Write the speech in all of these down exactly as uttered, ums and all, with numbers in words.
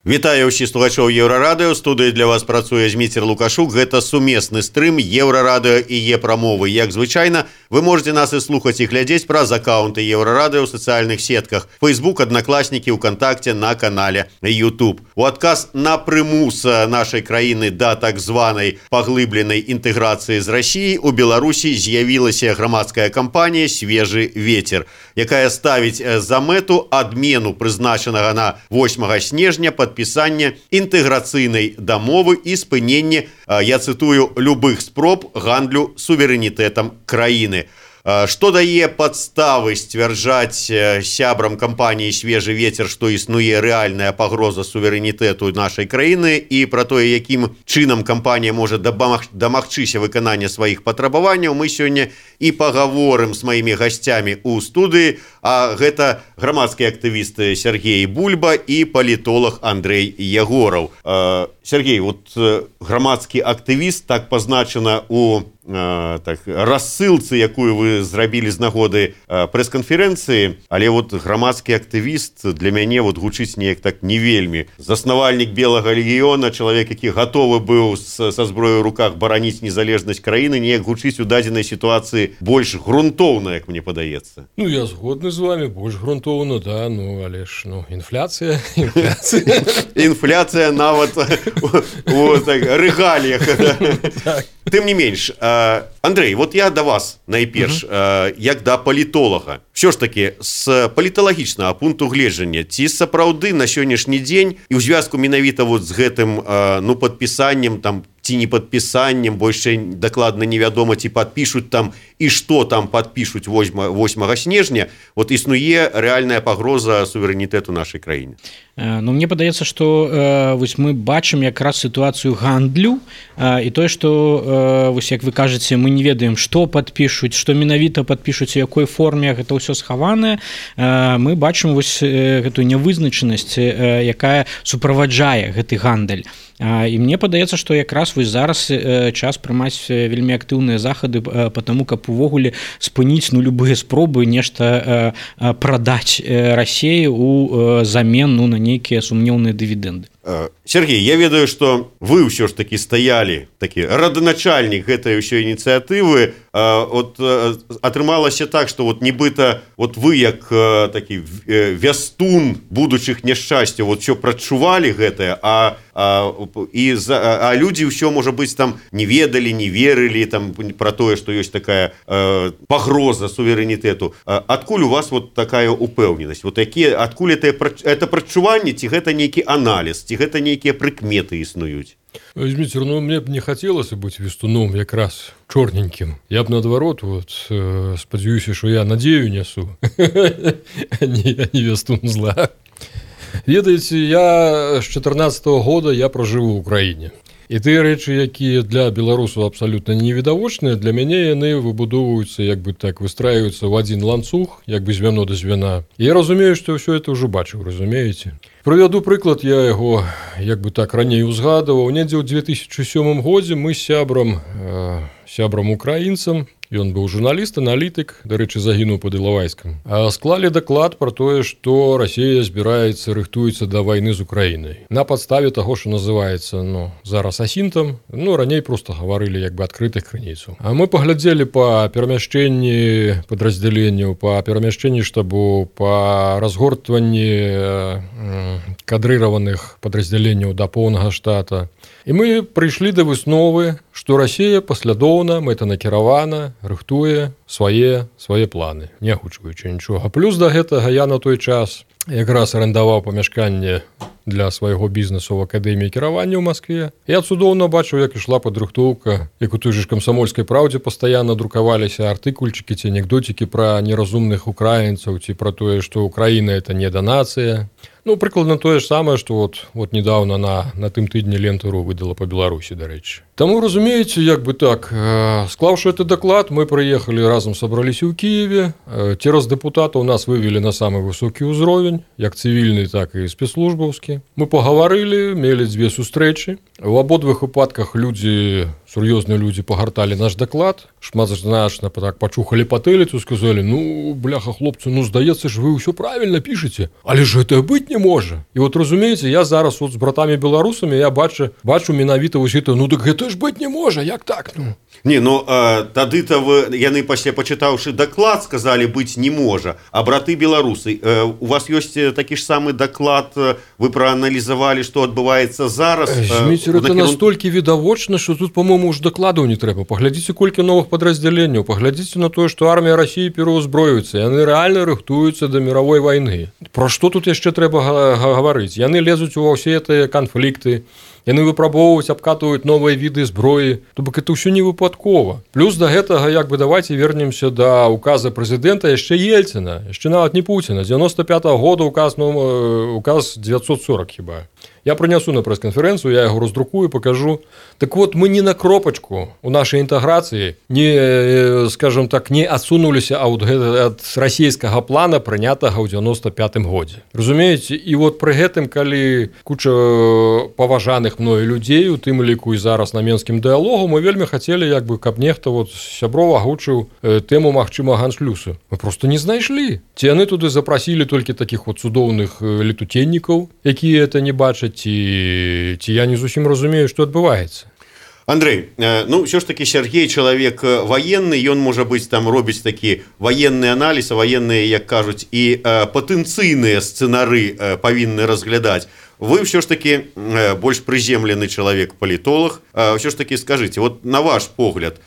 Вітаю ўсіх слухачоў Еўрарадыё. Студыі для вас працуе Зміцер Лукашук. Гэта сумесны стрым Еўрарадыё і Е-прамовы. Як звычайна, вы можете нас і слухаць і глядзець праз аккаунты Еўрарадыё ў сацыяльных сетках: Facebook, Аднакласнікі, ВКонтакте, на канале YouTube. У адказ на прымус нашай краіны да так званай паглыбленай інтэграцыі з Расіяй у Беларусі з'явілася грамадская кампанія «Свежы ветер», якая ставіць за мэту адмену прызначанага на восьмага снежня падпісання інтэграцыйнай дамовы і спынення, я цытую, любых спроб гандлю суверэнітэтам краіны. Што дае падставы сцвярджаць сябрам кампаніі «Свежы ветер», што існуе рэальная пагроза суверэнітэту нашай краіны, і пра тое, якім чынам кампанія можа дамагчыся выканання сваіх патрабаванняў, мы сёння і пагаворым з маімі гасцямі ў студыі. А гэта грамадскі актывіст Сергей Бульба і палітолог Андрей Ягораў. Сергей, вот грамадскі актывіст, так пазначана у так, рассылцы, якую вы зрабілі з нагоды прэс-канферэнцыі, але вот грамадскі актывіст для мяне вот гучыць неяк так не вельмі. Заснавальнік Белага легіёна, чалавек, які гатовы быў са зброяй у руках бараніць незалежнасць краіны, неяк гучыць у дадзенай сітуацыі больш грунтоўна, як мне падаецца. Ну, я згодны з вами, больш грунтоўна, да, ну, але ж, ну, інфляцыя, інфляцыя. Інфляцыя нават у рэгаліях. Тым не менш, Андрей, вот я да вас найперш, uh-huh. як да палітолага. Все ж таки, з паліталагічнага пункту гледжання, ці сапраўды на сённяшні дзень і ў звязку менавіта вот з гэтым, ну, падпісаннем, там, ці не падпісаннем, бо яшчэ дакладна невядома, ці падпішуць там і што там падпішуць восьмага снежня, вот існуе рэальная пагроза суверэнітэту нашай краіны. Ну, мне падаецца, што э, вось мы бачым якраз сітуацыю гандлю э, і тое, што э, вось як вы кажаце, мы не ведаем, што падпішуць, што менавіта падпішуць, у якой форме гэта ўсё схаванае. Э, мы бачым вось э, гэтую нявызначанасць, э, якая суправаджае гэты гандаль. Э, і мне падаецца, што якраз вось зараз э, час прымаць вельмі актыўныя захады э, по таму, каб увогуле спыніць, ну, любыя спробы нешта э, прадаць э, Расіі у э, замен, ну, на нейкія сумнеўныя дывідэнды. Сергей, я ведаю, што вы ўсё ж такі стаялі, такі раданачальнік гэтай ўсёй ініцыятывы. От атрымалася так, што вот нібыта вот вы як такі вястун будучых няшчасцяў вот ўсё прачувалі гэтае, а а, і за, а людзі ўсё, можа быць, там не ведалі, не верылі там пра тое, што ёсць такая э, пагроза суверэнітэту. Адкуль у вас вот такая упэўненасць? Вот якія, адкуль это, это прачуванне, ці гэта нейкі аналіз, ці гэта нейкія прыкметы існуюць? Зміцер, ну, мне б не хацелася быць вестуном якраз чорненькім. Я б, наадварот, вот, э, спадзяюся, што я надзею нясу, а не вестун зла. Ведаеце, я з чатырнаццатага года я пражыву ў краіне. І тыя рэчы, якія для беларусаў абсалютна невідавочныя, для мяне яны выбудоўваюцца, як бы так, выстраююцца ў адзін ланцуг, як бы звяно да звяна. Я разумею, што ўсё это ўжо бачыў, разумееце? Прывяду прыклад, я яго, як бы так, раней узгадаваў. Недзе ў две тысячы сёмым годзе мы з сябрам, э, сябрам украінцам, ён быў журналіст, аналітык, дарэчы, загінуў пад Ілавайскам, склалі даклад пра тое, што Расія збіраецца, рыхтуецца да вайны з Украінай. На падставе таго, што называецца, ну, зараз асінтам, ну, раней проста гаварылі як бы адкрытых крыніцаў. А мы паглядзелі па перамяшчэнні падраздзяленняў, па перамяшчэнні штабу, па разгортванні кадрыраваных падраздзяленняў да поўнага штата. І мы прыйшлі да высновы, што Расія паслядоўна, мэтанакіравана рыхтуе свае, свае планы, не агучваючы нічога. Плюс да гэтага я на той час якраз арендаваў памяшканне для свайго бізнесу ў акадэміі кіравання ў Маскве. Я цудоўна бачыў, як ішла падрыхтоўка, як у той же ж камсамольскай праўдзе пастаянна друкаваліся артыкульчыкі ці анекдотікі пра неразумных украінцаў, ці пра тое, што Украіна — это не данацыя. Ну, прыкладна тое ж самае, што вот, вот недавно на, на тым тыдні Лента.ру выдала па Беларусі, дарэчы. Таму, разумееце, як бы так, э, склаўшы гэты даклад, мы прыехалі разам, сабраліся ў Кіеве, э, цераз дэпутатаў нас вывелі на самы высокі ўзровень, як цывільны, так і спецслужбаўскі. Мы пагаварылі, мелі дзве сустрэчы. У абодвых выпадках людзі, сур'ёзныя людзі пагарталі наш даклад, шматзначна так пачухалі патэліцу, сказалі: ну, бляха, хлопцы, ну, здаецца ж, вы ўсё правільна пішаце, але ж гэта быць быть не можа. І вот разумееце, я зараз вот з братамі беларусамі я бачу бачу менавіта вось гэта, ну так гэта ж быць не можа, як так, ну. Не, ну э, тады-то вы, яны пасля пачытаўшы даклад сказалі быць не можа, а браты беларусы, э, у вас ёсць такі ж самы даклад, вы прааналізавалі, што адбываецца зараз? Э, Зміцер, это накірун... настолькі відавочна, што тут, по-моему, уж дакладаў не трэба. Паглядзіце, колькі новых падраздзяленняў, паглядзіце на тое, што армія Расіі пераўзброюецца, яны рэальна рыхтуюцца да мировой вайны. Пра што тут яшчэ трэба гаварыць? Яны лезуць ува ўсе гэтыя канфлікты, яны выпрабоўваюць, абкатваюць новыя віды зброі, то бок это ўсё не выпадкова. Плюс да гэтага, як бы, давайте вернемся да указа прэзідэнта яшчэ Ельціна, яшчэ нават не Пуціна, девяносто пятого года указ, ну, указ девятьсот сорок хіба. Я прынясу на прэс-канферэнцыю, я яго раздрукую, покажу. Так вот, мы не на кропачку у нашай інтэграцыі не, скажем так, не адсунуліся ад, ад расійскага плана, прынятага ў девяносто пятым годзе. Разумееце? І вот пры гэтым, калі куча паважаных мною людзей, у тым ліку і зараз на менскім дыалогу, мы вельмі хацелі, як бы, каб нехта вот сяброў агучыў тэму магчымага аншлюсу. Мы просто не знайшлі. Ці яны туды запрасілі толькі такіх вот цудоўных летутеннікаў, якія это не бачаць, ці, ці я не зусім разумею, што адбываецца. Андрей, ну ўсё ж таки Сергей чалавек ваенны, ён можа быць там робіць такі ваенны аналіз, а ваенныя, як кажуць, і патэнцыйныя сцэнары павінны разглядаць. Вы ўсё ж таки больш прыземлены чалавек-палітолог. Ўсё ж таки скажыце, вот на ваш погляд,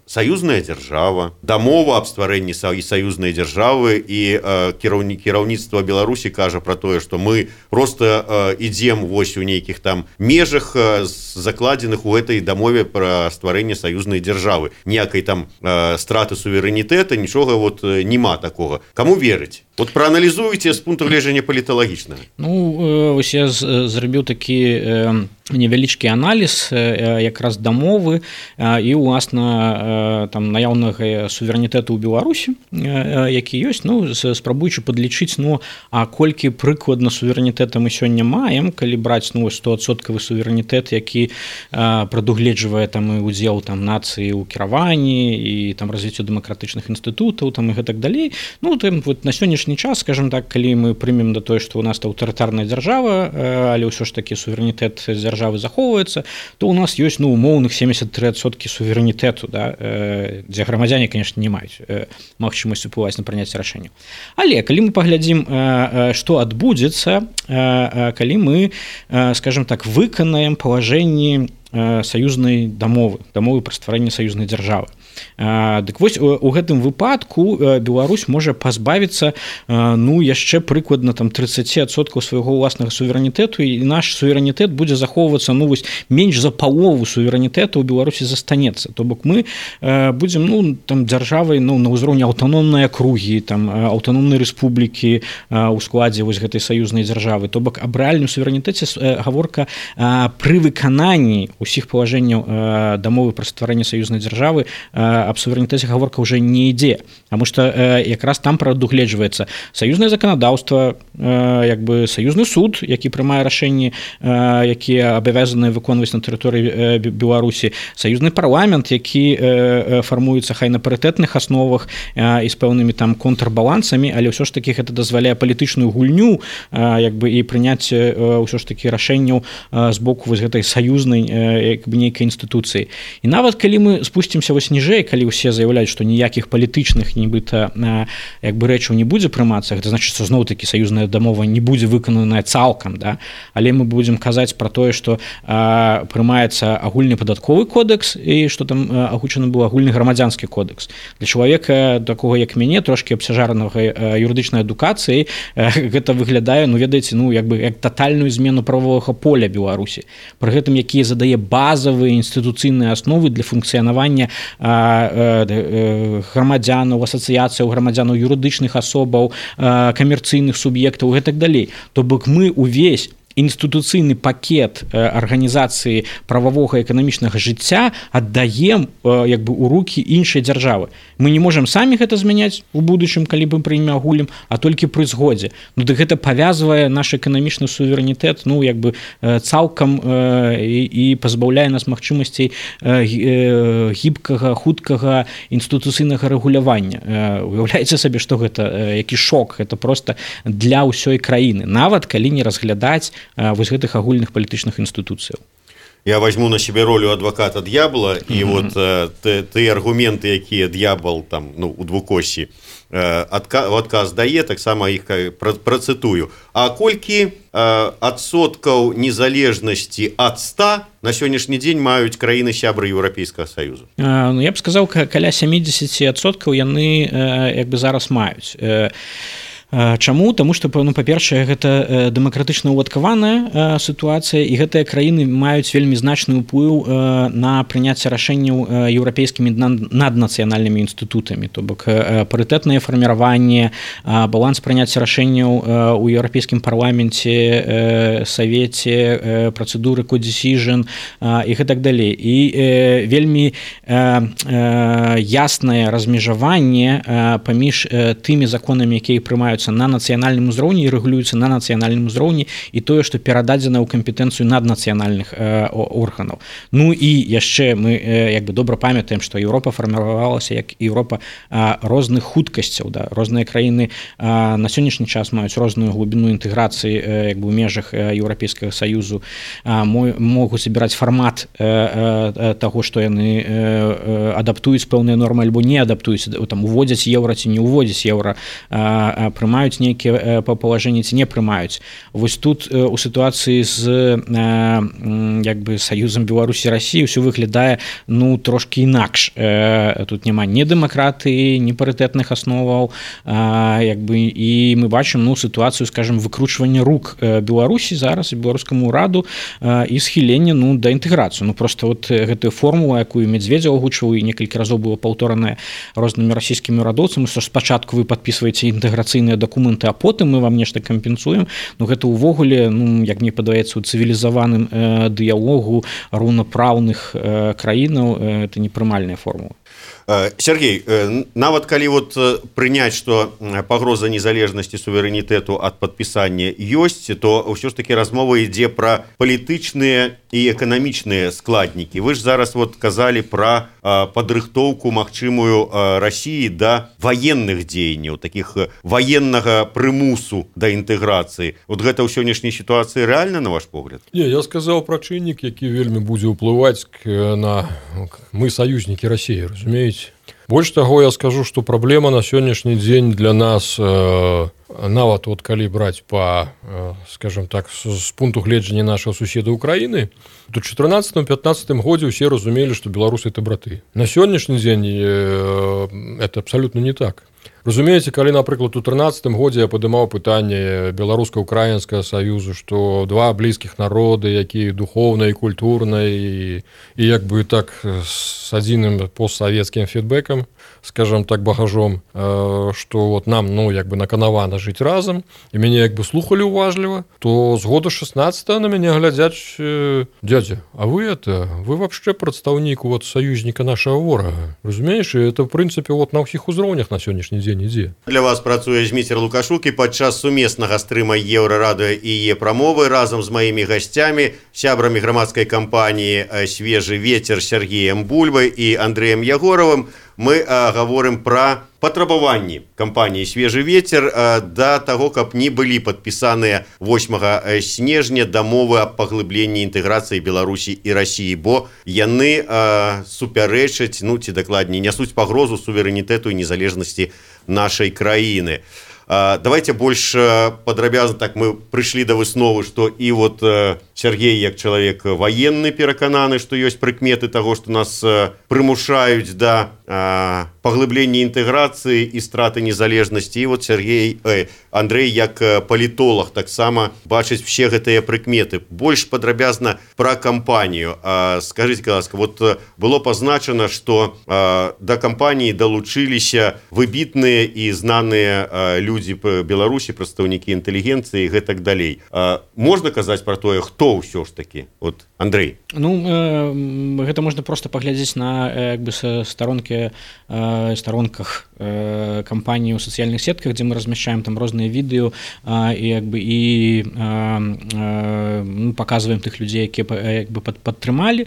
саюзная дзяржава, дамова аб стварэнні саюзнай дзяржавы і кіраўніцтва Беларусі кажа пра тое, што мы просто ідзем вось у нейкіх там межах, закладзеных у гэтай дамове пра стварэнне саюзнай дзяржавы. Ніякай там страты суверэнітэта, нічога вот нема такога. Каму верыць? Вот прааналізуйце з пункту гледжання паліталагічнага. Ну, вось я зрабіў такі невялічкі аналіз якраз дамовы і уласна там наяўнага суверэнітэту ў Беларусі, які ёсць, ну, спрабуючы падлічыць, ну, а колькі прыкладна суверэнітэта мы сёння маем, калі браць, ну, стоадсоткавы суверэнітэт, які прадугледжвае там і удзел там нацыі ў кіраванні і там развіццё дэмакратычных інстытутаў там і гэтак далей. Ну, там вот на сённяшні час, скажем так, калі мы прымем да тое, што у нас аўтарытарная дзяржава, але ўсё ж такі суверэнітэт дзяржавы захоўваецца, то у нас ёсць, ну, умоўных семьдесят три адсоткі суверэнітэту, да, дзе грамадзяне, конечно, не маюць магчымасць уплываць на прыняцце рашэнняў. Але калі мы паглядзім, што адбудзецца, калі мы, скажем так, выканаем палажэнні саюзнай дамовы, дамовы пра стварэнне саюзнай дзяржавы. Дык вось у гэтым выпадку Беларусь можа пазбавіцца, ну, яшчэ прыкладна там тридцать адсоткаў свайго ўласнага суверэнітэту, і наш суверэнітэт будзе захоўвацца, ну, вось менш за палову суверэнітэту ў Беларусі застанецца. То бок мы будзем, ну, там дзяржавай, ну, на ўзроўні аўтаномнай акругі, там аўтаномнай рэспублікі ў складзе вось гэтай саюзнай дзяржавы. То бок аб рэальным суверэнітэце гаворка пры выкананні усіх палажэнняў дамовы пра стварэнне саюзнай дзяржавы аб суверэнітэце гаворка ўжо не ідзе, таму што якраз там прадугледжваецца саюзнае заканадаўства, як бы саюзны суд, які прымае рашэнні, якія абавязаныя выконваць на тэрыторыі Беларусі, саюзны парламент, які фармуецца хай на парытэтных асновах і з пэўнымі там контрбалансамі, але ўсё ж такі гэта дазваляе палітычную гульню, як бы, і прыняцце ўсё ж такі рашэнняў з боку вось гэтай саюзнай, як бы, нейкай інстытуцыі. І нават калі мы спусцімся вось ніжэй, калі ўсе заяўляюць, што ніякіх палітычных нібыта, як бы, рэчаў не будзе прымацца, гэта значыць, што зноў-такі саюзная дамова не будзе выкананая цалкам, да? Але мы будзем казаць пра тое, што а, прымаецца агульны падатковы кодекс і што там агучаны быў агульны грамадзянскі кодекс. Для чалавека такога, як мяне, трошкі абцяжаранага юрыдычнай адукацыі, гэта выглядае, ну, ведаеце, ну, як бы, як татальную змену правовага поля Беларусі. Пры гэтым, якія задае базавыя інстытуцыйныя асновы для функцыянавання грамадзянаў, асацыяцыяў грамадзянаў, юрыдычных асобаў, камерцыйных суб'ектаў і гэтак далей. То бок мы увесь інстытуцыйны пакет арганізацыі прававога эканамічнага жыцця аддаем як бы у рукі іншай дзяржавы. Мы не можам самі гэта змяняць у будучым, калі мы пры ім агулім, а толькі пры згодзе. Ну дык гэта павязвае наш эканамічны суверэнітэт, ну як бы цалкам і, і пазбаўляе нас магчымасцей гібкага, хуткага інстытуцыйнага рэгулявання. Уяўляеце сабе, што гэта які шок, гэта просто для ўсёй краіны, нават калі не разглядаць вось гэтых агульных палітычных інстытуцыяў. Я возьму на себе роль адвоката д'ябла, і mm-hmm. вот э, ты аргументы, якія д'ябал там, ну, у двукоссі э, адка, адказ дае, таксама іх працытую. А колькі э, адсоткаў незалежнасці ад ста на сённяшні дзень маюць краіны сябры Еўрапейскага Саюзу? Э, ну, я б сказаў, каля сямдзесят адсоткаў яны э, як бы зараз маюць. Э, Чаму? Таму што, ну, па-першае, гэта дэмакратычна ўладкаваная сітуацыя, і гэтыя краіны маюць вельмі значны ўплыў на прыняцце рашэнняў еўрапейскімі наднацыянальнымі інстытутамі, то бок парытэтнае фарміраванне, баланс прыняцця рашэнняў у еўрапейскім парламенце, савеце, працэдуры кодзісіжн і гэтак далей. І вельмі яснае размежаванне паміж тымі законамі, якія прымаюць на нацыянальным узроўні і рэгулююцца на нацыянальным узроўні, і тое, што перададзена ў кампетэнцыю наднацыянальных э, органаў. Ну і яшчэ мы э, як бы добра памятаем, што Еўропа фарміравалася як Еўропа э, розных хуткасцяў. Да? Розныя краіны э, на сённяшні час маюць розную глыбіну інтэграцыі э, як бы ў межах э, Еўрапейскага Саюзу, э, могуць забіраць фармат э, э, таго, што яны э, э, адаптуюць пэўныя нормы альбо не адаптуюць, там уводзяць еўра ці не уводзяць еўра, э, прымаюць прымаюць нейкія палажэнні ці не прымаюць. Вось тут у сітуацыі з як бы саюзам Беларусі і Расіі ўсё выглядае ну трошкі інакш. Тут няма ні дэмакратыі, ні парытэтных асноваў, як бы, і мы бачым ну сітуацыю, скажем, выкручвання рук Беларусі зараз і беларускаму ўраду і схілення ну да інтэграцыі. Ну просто вот гэтую формулу, якую Медведзеў агучваў і некалькі разоў было паўторанае рознымі расійскімі ўрадоўцамі, што спачатку вы падпісваеце інтэграцыйныя дакументы, а потым мы вам нешта кампенсуем. Ну гэта ўвогуле, ну як мне падаецца, у цывілізаваным э, дыялогу роўнапраўных э, краінаў э, это непрымальная формула. Сергей, нават калі вот прыняць, што пагроза незалежнасці суверэнітэту ад падпісання ёсць, то ўсё ж такі размова ідзе пра палітычныя і эканамічныя складнікі. Вы ж зараз вот казалі пра падрыхтоўку магчымую Расіі да ваенных дзеянняў, такіх ваеннага прымусу да інтэграцыі. Вот гэта ў сённяшняй сітуацыі рэальна, на ваш погляд? Не, я сказаў пра чыннік, які вельмі будзе ўплываць на мы саюзнікі Расіі, разумееце. Больш таго, я скажу, што праблема на сённяшні дзень для нас, э, нават вот калі браць па, э, скажем так, з, з пункту гледжання нашага суседа Украіны, то ў чатырнаццатым-пятнаццатым годзе ўсе разумелі, што беларусы это браты. На сённяшні дзень э, это абсалютна не так. Разумееце, калі, напрыклад, у трынаццатым годзе я падымаў пытанне беларуска-украінскага саюзу, што два блізкіх народы, якія духоўна і культурна, і, і як бы так з адзіным постсавецкім фідбэкам, скажем так, багажом, што вот нам, ну, як бы наканавана жыць разам, і мяне як бы слухалі уважліва, то з года шестнадцатого на мяне глядзяць: дядя, а вы это, вы вообще прадстаўнік вот саюзніка нашага ворага. Разумееш, і это, в прынцыпе, вот на ўсіх узроўнях на сённяшні дзень ідзе. Для вас працуе Зміцер Лукашук, і падчас сумеснага стрыма Еўрарадыё і Е-прамовы разам з маімі гасцямі, сябрамі грамадскай кампаніі «Свежы ветер» Сергеем Бульбай і Андрэем Ягоравым мы а, гаворым пра патрабаванні кампаніі «Свежы ветер» а, да таго, каб не былі падпісаныя восьмага снежня дамовы аб паглыбленні інтэграцыі Беларусі і Расіі, бо яны а, супярэчаць, ну ці дакладней, нясуць пагрозу суверэнітэту і незалежнасці нашай краіны. Давайте больш падрабязна, так мы прыйшлі да высновы, што і вот Сергей, як чалавек ваенны, перакананы, што ёсць прыкметы таго, што нас прымушаюць да паглыбленне інтэграцыі і страты незалежнасці. І вот Сергей э, Андрей як палітолог таксама бачыць все гэтыя прыкметы. Больш падрабязна пра кампанію. Скажыце, ласка, вот было пазначана, што да кампаніі далучыліся выбітныя і знаныя людзі па Беларусі, прадстаўнікі інтэлігенцыі і гэтак далей. Можна казаць пра тое, хто ўсё ж такі? Вот, Андрей. Ну, э, гэта можна проста паглядзець на як бы старонкі э, старонках э, кампаніі ў сацыяльных сетках, дзе мы размяшчаем там розныя відэо э, і як бы і э, э, ну, паказваем тых людзей, якія як бы пад, падтрымалі.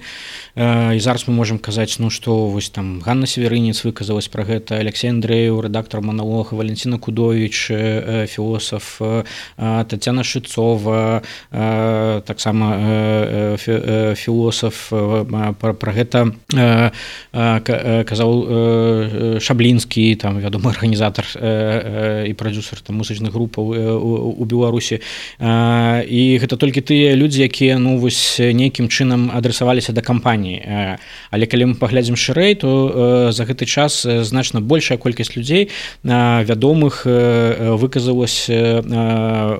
Э, і зараз мы можам казаць, ну што вось там Ганна Северынец выказалась пра гэта, Алексей Андреев, рэдактор Маналога, Валентина Кудович, э, філосаф, э, Тацяна Шыцова, э, таксама э, э, філосаф, пра, пра гэта э, э, казаў э, Шаблінскі, там вядомы арганізатар э, э, і прадзюсер там музычных групаў э, у, у Беларусі. Э, і гэта толькі тыя людзі, якія ну вось нейкім чынам адрасаваліся да кампаніі. Э, але калі мы паглядзім шырэй, то э, за гэты час значна большая колькасць людзей э, вядомых э, выказалась э,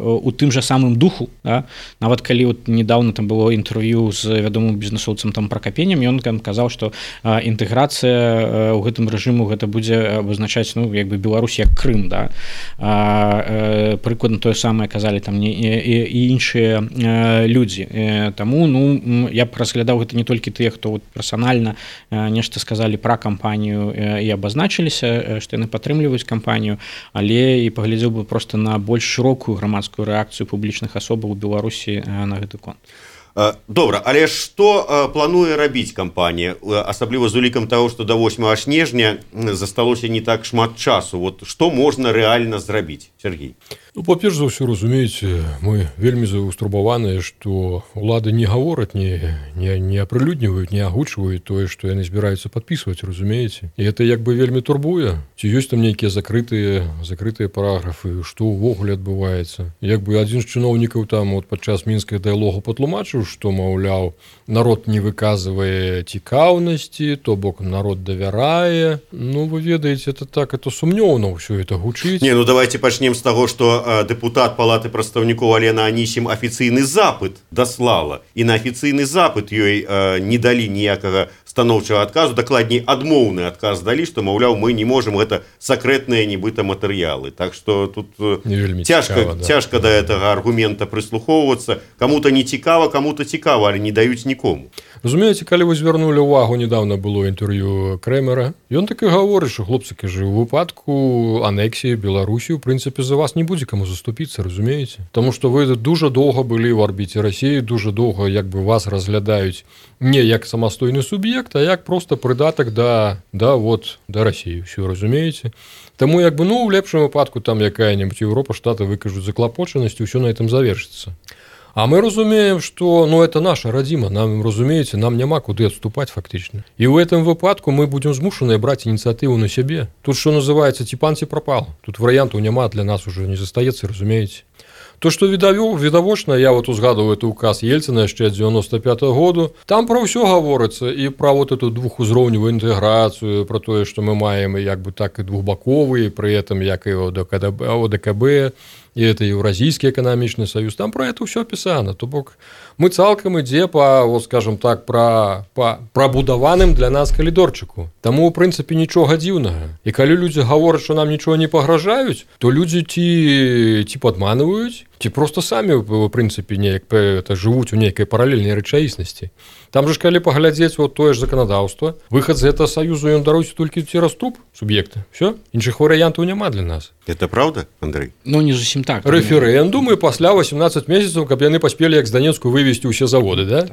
у тым жа самым духу. Да? Нават калі вот недавно там было інтэрв'ю з вядомым бізнесоўцам там Пракапенем, ён казаў, што э, інтэграцыя ў гэтым рэжыму гэта будзе абазначаць ну як бы Беларусь як Крым, да. А, э, прыкладна тое самае казалі там не і, і іншыя э, людзі. Э, таму ну я б разглядаў гэта не толькі тыя, хто вот персанальна э, нешта сказалі пра кампанію э, і абазначыліся, э, што яны падтрымліваюць кампанію, але і паглядзеў бы проста на больш шырокую грамадскую рэакцыю публічных асобаў у Беларусі э, на гэты конт. Добра, але што плануе рабіць кампанія, асабліва з улікам таго, што да восьмага снежня засталося не так шмат часу. Вот што можна рэальна зрабіць, Сергей? Ну, па-перш за ўсё, разумееце, мы вельмі заўстрабаваныя, што ўлады не гавораць, не, не, не апрылюдніваюць, не агучваюць тое, што яны збіраюцца падпісваць, разумееце. І гэта як бы вельмі турбуе. Ці ёсць там нейкія закрытыя, закрытыя параграфы, што ўвогуле адбываецца. Як бы адзін з чыноўнікаў там вот, падчас мінскага дыялогу патлумачыў, што, маўляў, народ не выказвае цікаўнасці, то бок народ давярае. Ну, вы ведаеце, это так, это сумнёўна ўсё это гучыць. Не, ну давайте пачнем з таго, што э, дэпутат Палаты прадстаўнікоў Алена Анісім афіцыйны запыт даслала, і на афіцыйны запыт ёй э, не далі ніякага станоўчага адказу, дакладней адмоўны адказ далі, што, маўляў, мы не можам, гэта сакрэтныя нібыта матэрыялы. Так што тут цяжка, цікава, да. цяжка да гэтага аргумента прыслухоўвацца. Каму-то не цікава, каму-то цікава, але не даюць нікому. Разумееце, калі вы звярнулі ўвагу, недавно было інтэрв'ю Крэмера, ён так і гаворыць, што хлопцы, кажа, у выпадку анексіі Беларусі, у прынцыпе, за вас не будзе каму заступіцца, разумееце? Таму што вы дужа доўга былі ў арбіце Расіі, дужа доўга як бы вас разглядаюць не як самастойны суб'ект, а як просто прыдатак да, да, вот, да Расіі, ўсё, разумееце? Таму як бы, ну, у лепшым выпадку там якая-небудзь Еўропа, Штаты выкажуць заклапочанасць, усё на этом завершыцца. А мы разумеем, што ну, это наша радзіма, нам, разумееце, нам няма куды адступаць фактычна. І ў гэтым выпадку мы будзем змушаныя браць ініцыятыву на сябе. Тут, што называецца, ці пан, ці прапал. Тут варыянтаў няма, для нас уже не застаецца, разумееце. То, што відавочна, я вот узгадываю это указ Ельцина яшчэ дзевяносто пятого году, там пра ўсё гаворыцца, і пра вот эту двухузроўневую інтэграцыю, пра тое, што мы маем як бы так і двухбаковы, пры этом як і о дэ ка бэ, і это Еўразійскі эканамічны саюз, там пра это ўсё апісана. То бок мы цалкам ідзе па, вот скажем так, пра, па прабудаваным для нас калідорчыку. Таму, у прынцыпе, нічога дзіўнага. І калі людзі гавораць, што нам нічога не пагражаюць, то людзі ці, ці падманваюць, ці проста самі, у прынцыпе, неяк это, жывуць у нейкай паралельнай рэчаіснасці. Там же ж калі паглядзець вот тое ж заканадаўства, выхад з гэтага саюзу ён даруецца толькі цераз труп суб'екта. Всё, іншых варыянтаў няма для нас. Это правда, Андрей? Ну, не зусім так. Рэферэндум і пасля восемнадцать месяцаў, каб яны паспелі як з Данецку вывесці ўсе заводы, да?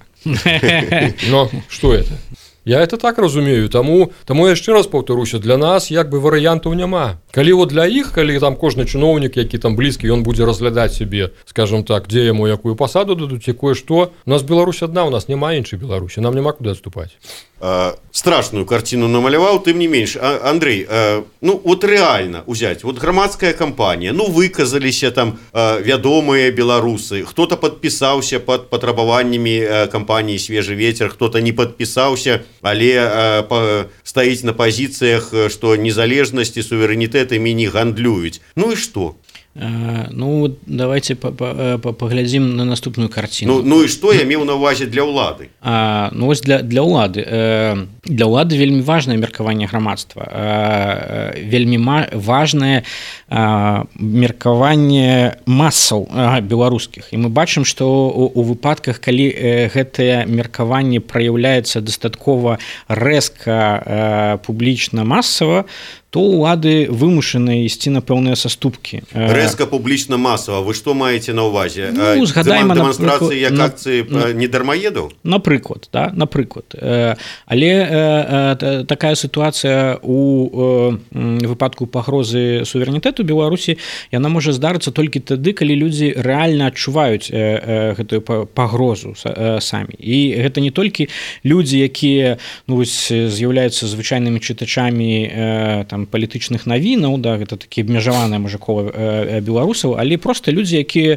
Но што это? Я это так разумею, таму, таму яшчэ раз паўтаруся, для нас як бы варыянтаў няма. Калі вот для іх, калі там кожны чыноўнік, які там блізкі, ён будзе разглядаць сябе, скажем так, дзе яму якую пасаду дадуць, якое што, у нас Беларусь адна, у нас няма іншай Беларусі, нам няма куды адступаць. э, страшную картину намаляваў, тым не менш. А, Андрей, э, ну вот реально взять, вот громадская компания, ну выказаліся там э, вядомыя беларусы, кто-то подписаўся под патрабаваннямі э, компании «Свежий ветер», кто-то не подписаўся, але э, по, стаіць на позициях, что незалежнасць і суверэнітэт імі не гандлююць. Ну и что? Ну, давайте поглядзім на наступную картину. Ну, ну і што я меў на ўвазе для ўлады? А, ну, вось для, для ўлады. Для ўлады вельмі важнае меркаванне грамадства. Вельмі важнае меркаванне масаў беларускіх. І мы бачым, што у, у выпадках, калі гэтае меркаванне праяўляецца дастаткова рэзка, публічна, масава, то ўлады вымушаныя ісці на пэўныя саступкі. Рэзка публічна масава. Вы што маеце на ўвазе? Ну, згадаем, дэманстрацыі як на, акцыі на, недармаедаў? Напрыклад, да, напрыклад. Але такая сітуацыя у выпадку пагрозы суверэнітэту Беларусі, яна можа здарыцца толькі тады, калі людзі рэальна адчуваюць гэтую пагрозу самі. І гэта не толькі людзі, якія, ну, з'яўляюцца звычайнымі чытачамі там палітычных навінаў, да, гэта такі абмежаваныя можа кола беларусаў, але проста людзі, якія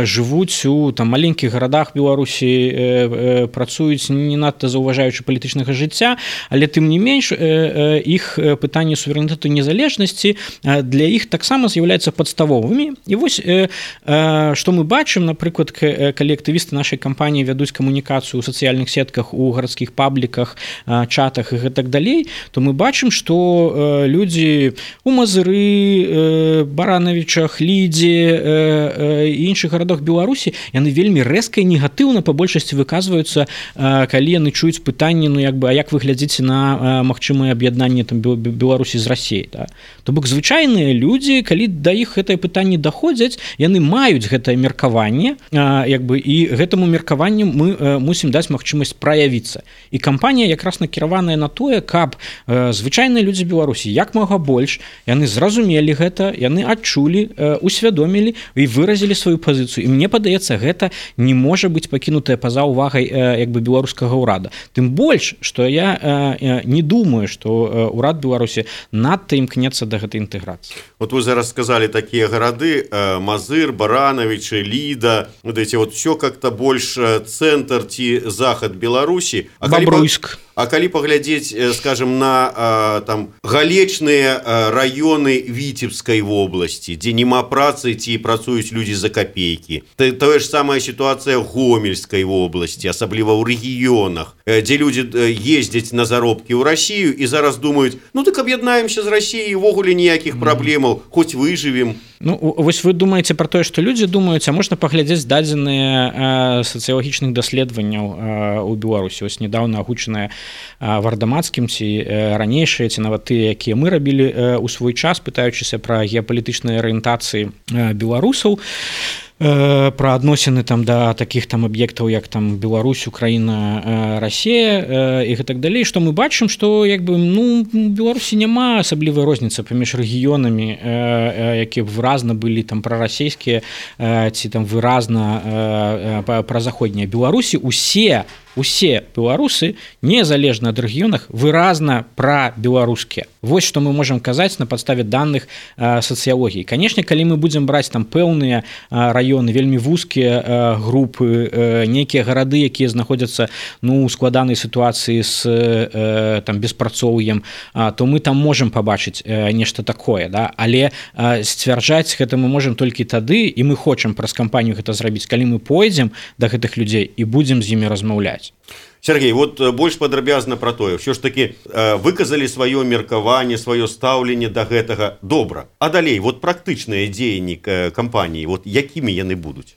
жывуць у там маленькіх гарадах Беларусі, працуюць не надта заўважаючы палітычнага жыцця, але тым не менш іх пытанні суверэнітэту незалежнасці для іх таксама з'яўляюцца падставовымі. І вось што мы бачым, напрыклад, калі актывісты нашай кампаніі вядуць камунікацыю ў сацыяльных сетках, у гарадскіх пабліках, чатах і гэтак далей, то мы бачым, што людзі у Мазыры, Баранавічах, Лідзе і іншых гарадах Беларусі, яны вельмі рэзка і негатыўна па большасці выказваюцца, калі яны чуюць пытанні, ну як бы, а як вы глядзіце на магчымае аб'яднанне там Беларусі з Расіяй, да? То бок звычайныя людзі, калі да іх гэтае пытанне даходзяць, яны маюць гэтае меркаванне, як бы, і гэтаму меркаванню мы мусім даць магчымасць праявіцца. І кампанія якраз накіраваная на тое, каб звычайныя людзі Беларусі як мага больш, яны зразумелі гэта, яны адчулі, усвядомілі і выразілі сваю пазіцыю. І мне падаецца, гэта не можа быць пакінутая па-за ўвагай як бы беларускага ўрада. Тым больш, што я не думаю, што ўрад Беларусі надта імкнецца да гэтай інтэграцыі. Вот вы зараз сказалі такія гарады: Мазыр, Баранавічы, Ліда, вот эти вот все как-то больш цэнтр ці захад Беларусі. А Бабруйск. А калі паглядзець, скажем, на там галечныя раёны Віцебскай вобласці, дзе няма працы ці працуюць людзі за капейкі. Тое ж самая сітуацыя Гомельскай вобласці, асабліва ў рэгіёнах, дзе людзі ездзяць на заробкі ў Расію і зараз думаюць: ну так аб'яднаемся з Расіяй, увогуле ніякіх праблемаў, хоць выжывем. Ну, вось вы думаеце пра тое, што людзі думаюць, а можна паглядзець дадзеныя сацыялагічных даследаванняў у Беларусі. Вось нядаўна агучаныя Вардамацкім ці ранейшыя, ці нават тыя, якія мы рабілі ў свой час, пытаючыся пра геапалітычныя арыентацыі беларусаў, пра адносіны там да такіх там аб'ектаў, як там Беларусь, Украіна, Расія і гэтак далей, што мы бачым, што як бы, ну, Беларусі няма асаблівай розніцы паміж рэгіёнамі, якія выразна былі там прарасійскія ці там выразна празаходнія. Беларусі усе усе беларусы, незалежна ад рэгіёнах, выразна пра-беларускія. Вось што мы можам казаць на падставе даных сацыялогіі. Канешне, калі мы будзем браць там пэўныя раёны, вельмі вузкія групы, нейкія гарады, якія знаходзяцца, ну, у складанай сітуацыі з там беспрацоўем, то мы там можам пабачыць нешта такое, да? Але сцвярджаць гэта мы можам толькі тады, і мы хочам праз кампанію гэта зрабіць, калі мы пойдзем да гэтых людзей і будзем з імі размаўляць. Сергей, вот больш падрабязна пра тое, ўсё ж такі выказалі сваё меркаванне, сваё стаўленне да гэтага. Добра. А далей, вот практычныя дзеянні кампаніі, вот якімі яны будуць?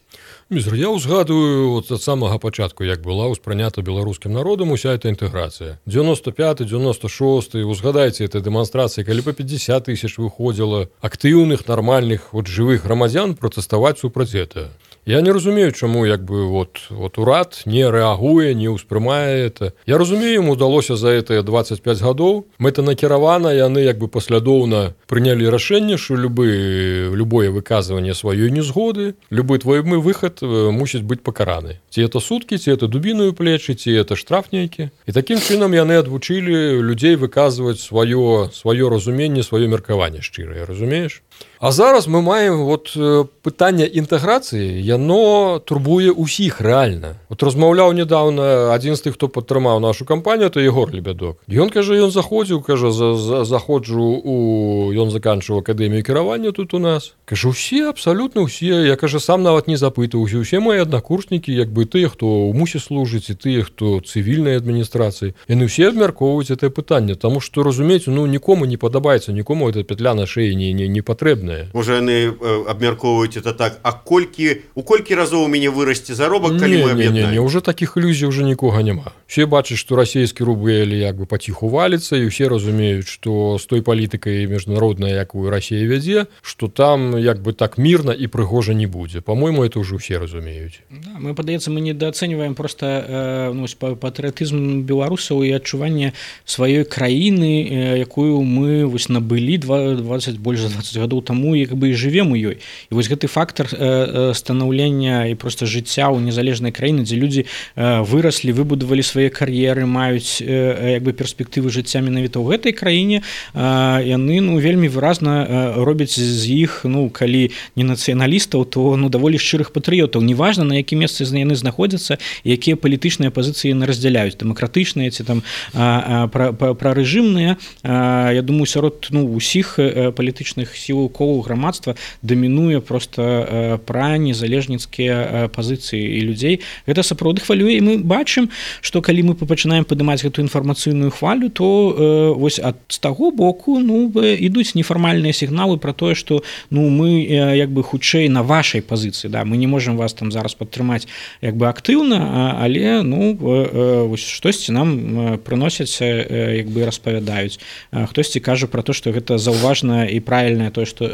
Мізер, я ўзгадываю вот ад самага пачатку, як была ўспрынята беларускім народам уся эта інтэграцыя. девяносто пятый девяносто шестой, узгадайце этой дэманстрацыі, калі па пятьдесят тысяч выходзіла актыўных, нармальных, вот жывых грамадзян пратэставаць супраць гэтага. Я не разумею, чаму як бы вот, вот урад не рэагуе, не ўспрымае это. Я разумею, ім удалося за гэтыя дваццаць пяць гадоў мэтанакіравана, яны як бы паслядоўна прынялі рашэнне, што любы, любое выказванне сваёй незгоды, любы твой мы выхад мусіць быць пакараны. Ці это суткі, ці это дубіную плечы, ці это штраф нейкі. І такім чынам яны адвучылі людзей выказваць сваё, сваё разуменне, сваё меркаванне шчырае, разумееш? А зараз мы маем вот пытанне інтэграцыі, яно турбуе ўсіх рэальна. Вот размаўляў недавно адзін з тых, хто падтрымаў нашу кампанію, то Егор Лебядок. Ён кажа, ён заходзіў, кажа, за, за, заходжу у... Ён заканчваў акадэмію кіравання тут у нас. Кажа, усе, абсалютна ўсе. Я, кажа, сам нават не запытаўся. Усе мои аднакурснікі, як бы тыя, хто ў мусе служыць, і тыя, хто цывільнай адміністрацыі. Яны ўсе абмяркоўваюць гэтае пытанне, таму што, разумееце, ну, нікому не падабаецца, нікому эта петля на шеі не, не, не патрэбная. Можа, яны абмяркоўваюць это так, а колькі, у колькі разоў у мяне вырасце заробак, калі не, мы аб'яднаем? Не, не, не, уже такіх ілюзій уже нікога няма. Все бачаць, што расійскі рубль як бы паціху валіцца, і ўсе разумеюць, што з той палітыкай міжнароднай, якую Расія вядзе, што там як бы так мірна і прыгожа не будзе. По-мойму, это уже ўсе разумеюць. Да, мы, падаецца, мы недаацэньваем просто э, ну, патрыятызм беларусаў і адчуванне сваёй краіны, э, якую мы вось набылі двадцать больш за двадцать гадоў таму, як бы і жывем у ёй. І вось гэты фактор э, станаўлення і просто жыцця ў незалежнай краіны, дзе людзі э, выраслі, выбудавалі свае кар'еры, маюць э, як бы перспектывы жыцця менавіта ў гэтай краіне, э, яны ну вельмі выразна э, робяць з іх, ну калі не нацыяналістаў, то ну даволі шчырых патрыётаў. Неважна, на якім месцы яны знаходзяцца і якія палітычныя пазіцыі яны раздзяляюць, дэмакратычныя ці там прарэжымныя. Я думаю, сярод ну усіх палітычных сілаў колаў грамадства дамінуе просто пра незалежніцкія пазіцыі і людзей. Гэта сапраўды хвалюе, і мы бачым, што калі мы пачынаем падымаць гэту інфармацыйную хвалю, то вось ад з таго боку ну ідуць нефармальныя сігналы пра тое, што ну мы як бы хутчэй на вашай пазіцыі, да, мы не можам вас там зараз падтрымаць як бы актыўна, але ну вось штосьці нам прыносяць як бы распавядаюць. Хтосьці кажа пра то, што гэта заўважна і правільнае тое, што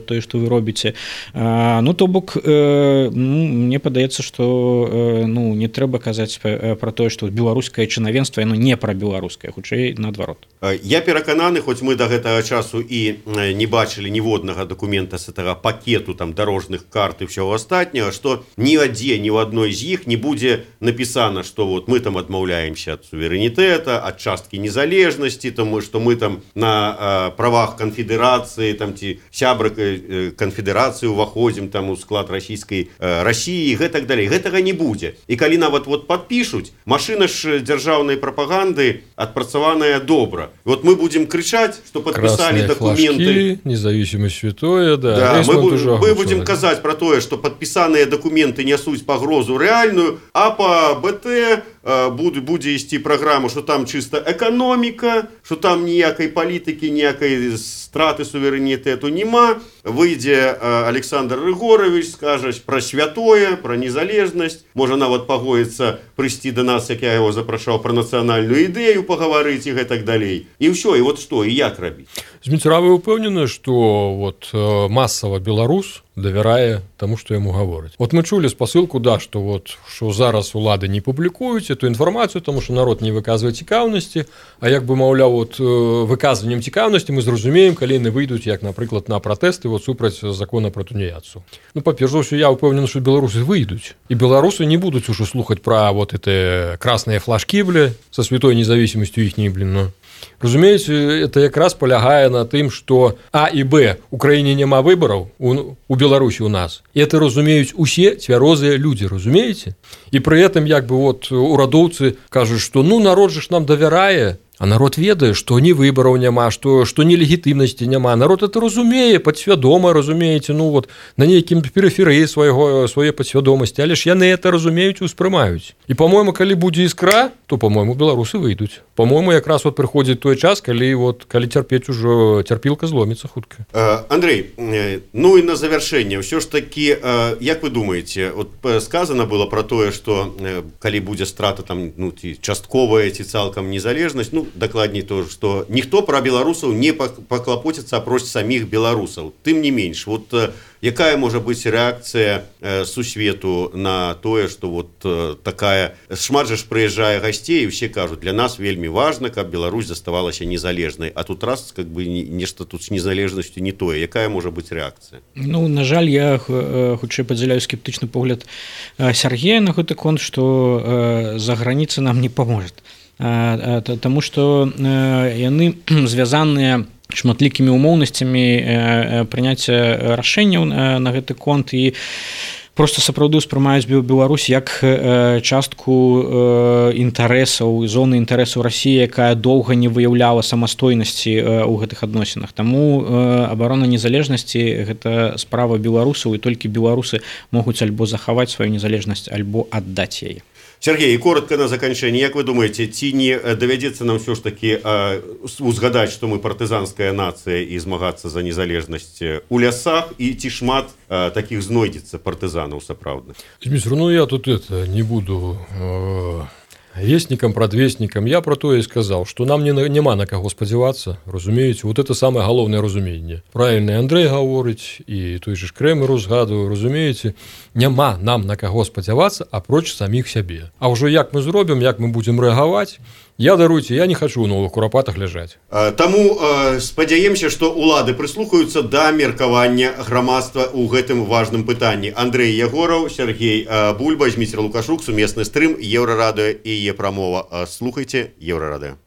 тое, што вы робіце. Ну то бок ну, мне падаецца, што ну не трэба казаць пра тое, што беларускае чынавенства яно не пра беларускае, хутчэй наадварот. Я перакананы, хоць мы да гэтага часу і не бачылі ніводнага дакумента з гэтага пакету там дарожных карт і ўсяго астатняга, што ні адзе, ні ў адной з іх не будзе напісана, што вот мы там адмаўляемся ад суверэнітэта, ад часткі незалежнасці, тому што мы там на правах канфедэрацыі там ці сябры канфедэрацыі уваходзім там у склад расійскай Расіі, гэтак далей. Гэтага не будзе. І калі нават вот падпішуць, машына ж дзяржаўнай прапаганды адпрацаваная добра. Вот мы будем кричать, что подписали документы. Флажки, независимость святое, да. Да, мы, мы будем казать про то, что подписанные документы несут погрозу реальную, а по БТ э, будет, будет вести программу, что там чисто экономика, что там никакой политики, никакой страты суверенитету нема. Выйдя э, Александр Рыгорович, скажет про святое, про незалежность. Можно нават пагоиться прийти до нас, как я его запрашал, про национальную идею поговорить и так далее. И все, и вот что, и як робить. Зміцера, вы упэўнены, што вот масава беларус давярае таму, што яму гавораць. Вот мы чулі спасылку, да, што вот што зараз улады не публікуюць эту інфармацыю, таму што народ не выказвае цікаўнасці, а як бы маўляў, вот выказваннем цікаўнасці мы зразумеем, калі яны выйдуць, як, напрыклад, на пратэсты вот супраць закона пра тунеядцу. Ну, па-перш за ўсё, я упэўнены, што беларусы выйдуць, і беларусы не будуць ужо слухаць пра вот эти красныя флажкі, бля, со святой независимостью іхняй, блин, ну. Разумееце, это якраз палягае на тым, што А і Б у краіне няма выбараў, у, у Беларусі у нас. І это разумеюць усе цвярозыя людзі, разумееце? І пры гэтым як бы вот урадоўцы кажуць, што ну народ жа ж нам давярае, а народ ведае, што ні выбараў няма, што, што ні легітымнасці няма. Народ это разумее, падсвядома, разумееце, ну вот на нейкім перыферыі свайго, сваёй падсвядомасці, але ж яны это разумеюць і ўспрымаюць. І, па-мойму, калі будзе іскра, то, па-мойму, беларусы выйдуць. Па-мойму, якраз вот прыходзіць той час, калі, вот, калі цярпець ужо цярпілка зломіцца хутка. Э, Андрей, ну і на завяршэнне, ўсё ж такі, э, як вы думаеце, вот сказано было про тое, што э, калі будзе страта там, ну, ці частковая, ці цалкам незалежнасць, ну, дакладней то, што ніхто пра беларусаў не паклапоціцца апроч саміх беларусаў. Тым не менш, вот Якая можа быць рэакцыя э, сусвету на тое, што вот э, такая шмат жа ж прыязджае гасцей, і ўсе кажуць, для нас вельмі важна, каб Беларусь заставалася незалежнай, а тут раз как бы нешта тут з незалежнасцю не тое. Якая можа быць рэакцыя? Ну, на жаль, я хутчэй падзяляю скептычны погляд Сергея на гэты конт, што за граніцы нам не паможа. Таму што яны звязаныя шматлікімі умоўнасцямі прыняцця рашэнняў на гэты конт і просто сапраўды ўспрымаюць Беларусь як частку інтарэсаў, зоны інтарэсаў Расіі, якая доўга не выяўляла самастойнасці ў гэтых адносінах. Таму абарона незалежнасці – гэта справа беларусаў, і толькі беларусы могуць альбо захаваць сваю незалежнасць, альбо аддаць яе. Сергей, коротко на заканчэнне, як вы думаеце, ці не давядзецца нам ўсё ж такі узгадаць, што мы партызанская нацыя і змагацца за незалежнасць у лясах, і ці шмат такіх знойдзецца партызанаў сапраўдных? Дмитрий, ну я тут это не буду э, вестником, предвестником. Я про то и сказал, что нам не, нема на кого спадзявацца, разумеете, вот это самое галоўнае разуменне. Правильно Андрей говорить, и той же Кремер узгадываю, разумеете, нема нам на кого спадзявацца, апроч самих сябе. А ўжо як мы зробім, як мы будем рэагаваць, я, даруйте, я не хочу у новых курапатах ляжаць. Таму спадзяемся, што улады прыслухаюцца да меркавання грамадства ў гэтым важным пытанні. Андрей Ягораў, Сергей Бульба, Дміцір Лукашук, сумесны стрым, Еўрарадыё і Е-прамова. Слухайце Еўрарадыё.